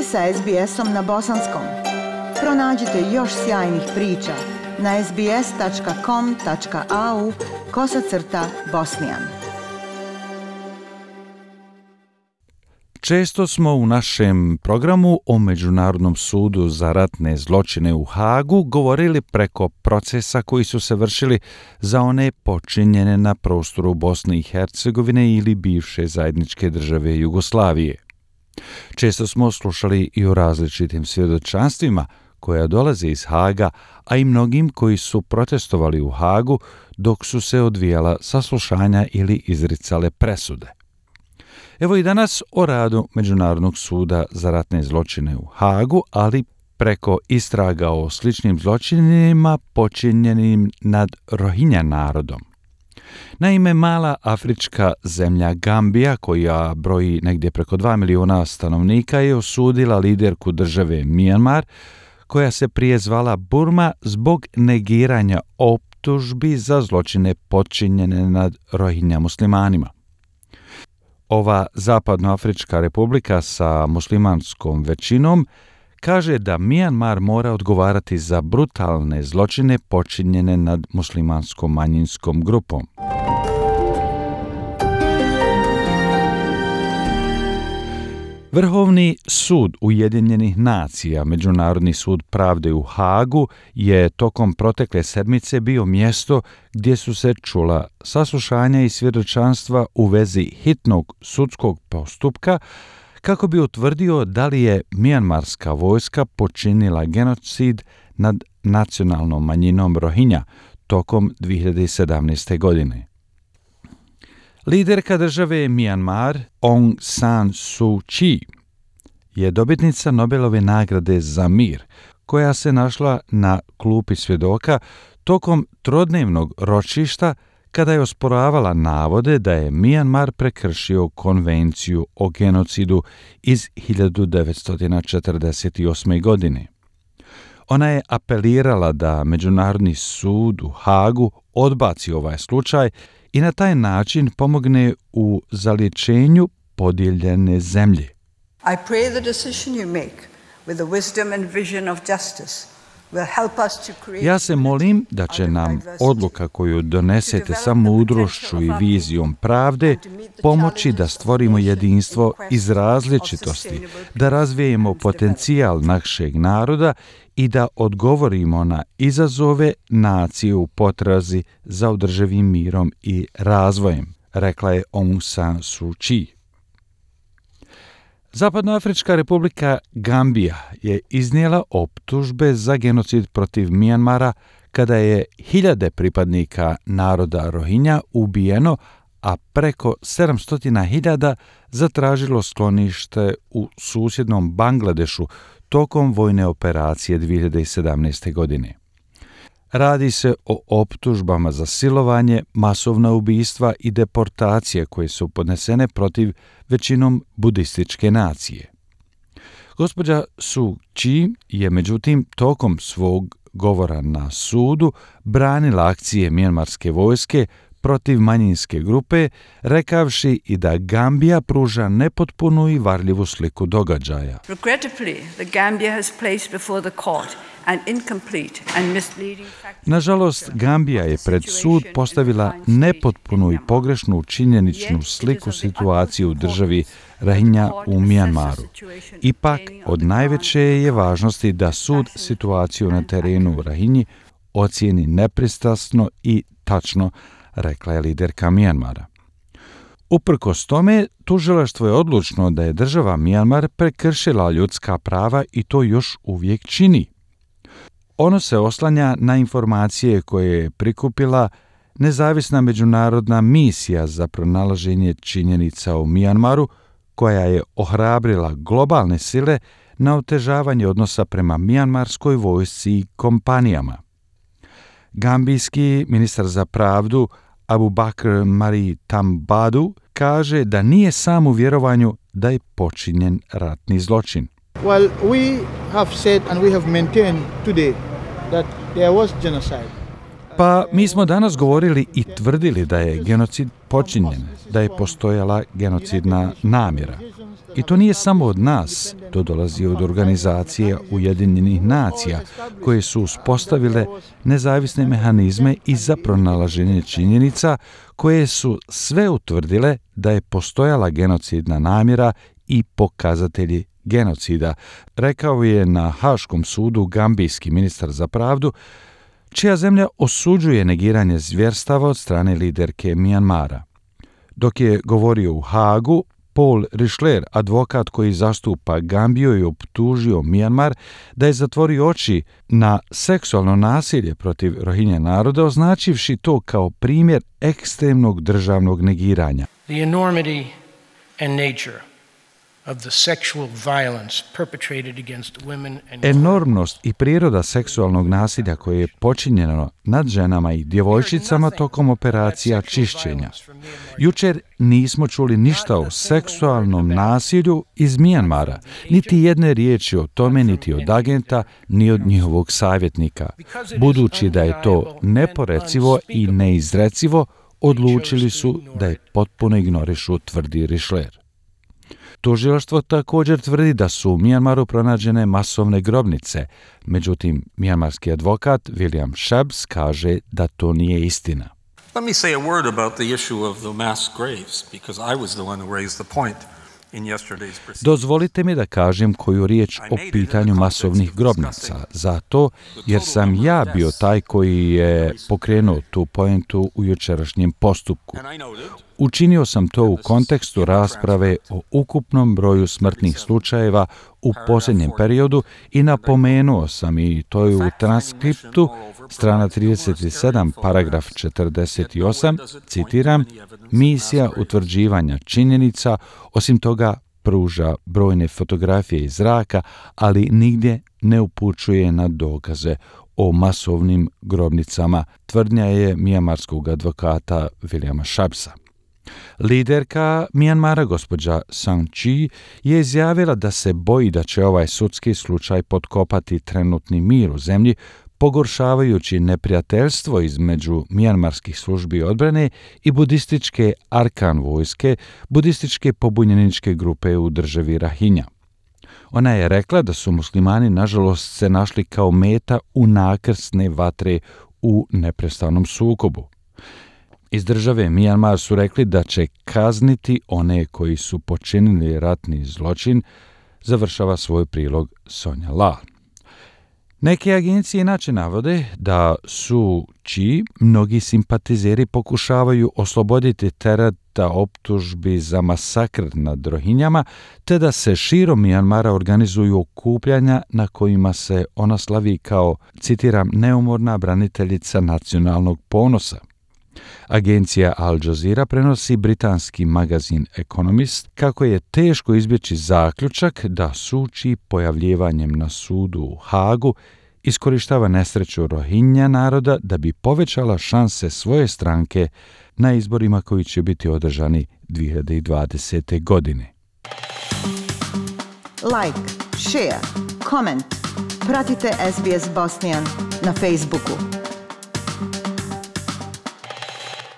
ste sa SBS-om na bosanskom. Pronađite još sjajnih priča na sbs.com.au/bosnian. Često smo u našem programu o Međunarodnom sudu za ratne zločine u Hagu govorili preko procesa koji su se vršili za one počinjene na prostoru Bosne i Hercegovine ili bivše zajedničke države Jugoslavije. Često smo slušali i o različitim svjedočanstvima koja dolaze iz Haga, a i mnogim koji su protestovali u Hagu dok su se odvijala saslušanja ili izricale presude. Evo i danas o radu Međunarodnog suda za ratne zločine u Hagu, ali preko istraga o sličnim zločinima počinjenim nad Rohingya narodom. Naime, mala afrička zemlja Gambija, koja broji negdje preko 2 miliona stanovnika, je osudila liderku države Myanmar, koja se prije zvala Burma, zbog negiranja optužbi za zločine počinjene nad Rohingya muslimanima. Ova zapadnoafrička republika sa muslimanskom većinom kaže da Myanmar mora odgovarati za brutalne zločine počinjene nad muslimanskom manjinskom grupom. Vrhovni sud Ujedinjenih nacija, Međunarodni sud pravde u Hagu, je tokom protekle sedmice bio mjesto gdje su se čula saslušanja i svjedočanstva u vezi hitnog sudskog postupka kako bi utvrdio da li je Myanmarska vojska počinila genocid nad nacionalnom manjinom Rohingya tokom 2017. godine. Liderka države Myanmar, Aung San Suu Kyi, je dobitnica Nobelove nagrade za mir, koja se našla na klupi svjedoka tokom trodnevnog ročišta kada je osporavala navode da je Myanmar prekršio konvenciju o genocidu iz 1948. godine. Ona je apelirala da Međunarodni sud u Hagu odbaci ovaj slučaj i na taj način pomogne u zaliječenju podijeljene zemlje. I pray the decision you make with the wisdom and vision of justice will help us to create. Ja se molim da će nam odluka koju donesete sa mudrošću i vizijom pravde pomoći da stvorimo jedinstvo iz različitosti, da razvijemo potencijal našeg naroda i da odgovorimo na izazove nacije u potrazi za održivim mirom i razvojem, rekla je Aung San Suu Kyi. Zapadnoafrička republika Gambija je iznijela optužbe za genocid protiv Myanmara kada je hiljade pripadnika naroda Rohingya ubijeno, a preko 700.000 zatražilo sklonište u susjednom Bangladešu tokom vojne operacije 2017. godine. Radi se o optužbama za silovanje, masovna ubistva i deportacije koje su podnesene protiv većinom budističke nacije. Gospođa Suu Kyi je međutim tokom svog govora na sudu branila akcije mjanmarske vojske protiv manjinske grupe, rekavši i da Gambija pruža nepotpunu i varljivu sliku događaja. Nažalost, Gambija je pred sud postavila nepotpunu i pogrešnu činjeničnu sliku situacije u državi Rohingya u Myanmaru. Ipak, od najveće je važnosti da sud situaciju na terenu u Rohingyi ocijeni nepristrasno i tačno, rekla je liderka Myanmara. Uprkos tome, tužilaštvo je odlučno da je država Myanmar prekršila ljudska prava i to još uvijek čini. Ono se oslanja na informacije koje je prikupila nezavisna međunarodna misija za pronalaženje činjenica u Myanmaru, koja je ohrabrila globalne sile na otežavanje odnosa prema mjanmarskoj vojsci i kompanijama. Gambijski ministar za pravdu Abubakar Mari Tambadu kaže da nije sam u vjerovanju da je počinjen ratni zločin. Well, we have said and we have maintained today that there was genocide. Pa mi smo danas govorili i tvrdili da je genocid počinjen, da je postojala genocidna namjera. I to nije samo od nas, to dolazi od organizacije Ujedinjenih nacija, koje su uspostavile nezavisne mehanizme i za pronalaženje činjenica koje su sve utvrdile da je postojala genocidna namjera i pokazatelji genocida, rekao je na Haškom sudu gambijski ministar za pravdu, čija zemlja osuđuje negiranje zvjerstava od strane liderke Mijanmara. Dok je govorio u Hagu, Paul Richler, advokat koji zastupa Gambiju, je optužio Mijanmar da je zatvorio oči na seksualno nasilje protiv Rohingya naroda, označivši to kao primjer ekstremnog državnog negiranja. The enormity and nature of the sexual violence perpetrated against women and Enormnost i priroda seksualnog nasilja koje je počinjeno nad ženama i djevojčicama tokom operacija čišćenja. Jučer nismo čuli ništa o seksualnom nasilju iz Mijanmara, niti jedne riječi o tome, niti od agenta, ni od njihovog savjetnika. Budući da je to neporecivo i neizrecivo, odlučili su da je potpuno ignorišu, tvrdi Richler. Tužilaštvo također tvrdi da su u Mijanmaru pronađene masovne grobnice, međutim, mijanmarski advokat William Shabs kaže da to nije istina. Let me say a word about the issue of the mass graves, because I was the one who raised the point in yesterday's proceedings. Dozvolite mi da kažem koju riječ o pitanju masovnih grobnica, zato jer sam ja bio taj koji je pokrenuo tu poentu u jučerašnjem postupku. Učinio sam to u kontekstu rasprave o ukupnom broju smrtnih slučajeva u posljednjem periodu i napomenuo sam, i to je u transkriptu, strana 37, paragraf 48, citiram, misija utvrđivanja činjenica, osim toga pruža brojne fotografije iz zraka, ali nigdje ne upućuje na dokaze o masovnim grobnicama, tvrdnja je mijanmarskog advokata Williama Shabsa. Liderka Mijanmara, gospođa San Chi, je izjavila da se boji da će ovaj sudski slučaj potkopati trenutni mir u zemlji, pogoršavajući neprijateljstvo između mijanmarskih službi odbrane i budističke Arkan vojske, budističke pobunjeničke grupe u državi Rohingya. Ona je rekla da su muslimani nažalost se našli kao meta u nakrsne vatre u neprestanom sukobu. Iz države Mijanmar su rekli da će kazniti one koji su počinili ratni zločin, završava svoj prilog Sonja La. Neke agencije inače navode da su čiji mnogi simpatizeri pokušavaju osloboditi tereta optužbi za masakr nad Rohinjama, te da se širom Mijanmara organizuju okupljanja na kojima se ona slavi kao, citiram, neumorna braniteljica nacionalnog ponosa. Agencija Al Jazeera prenosi britanski magazin Economist kako je teško izbjeći zaključak da Suči pojavljivanjem na sudu u Hagu iskorištava nesreću Rohingya naroda da bi povećala šanse svoje stranke na izborima koji će biti održani 2020. godine. Like, share, comment. Pratite SBS Bosnian na Facebooku.